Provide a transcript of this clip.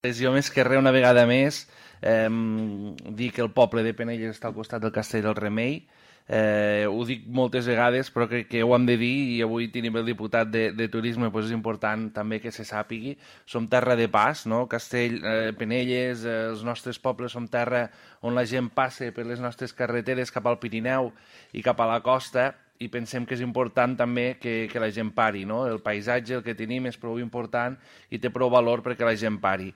Jo més que res, una vegada més, dir que el poble de Penelles està al costat del Castell del Remei. Ho dic moltes vegades, però crec que ho hem de dir i avui tenim el diputat de Turisme, doncs és important també que se sàpigui. Som terra de pas, no? Castell, Penelles, els nostres pobles som terra on la gent passa per les nostres carreteres cap al Pirineu i cap a la costa, i pensem que és important també que la gent pari, no? El paisatge, el que tenim, és prou important i té prou valor perquè la gent pari.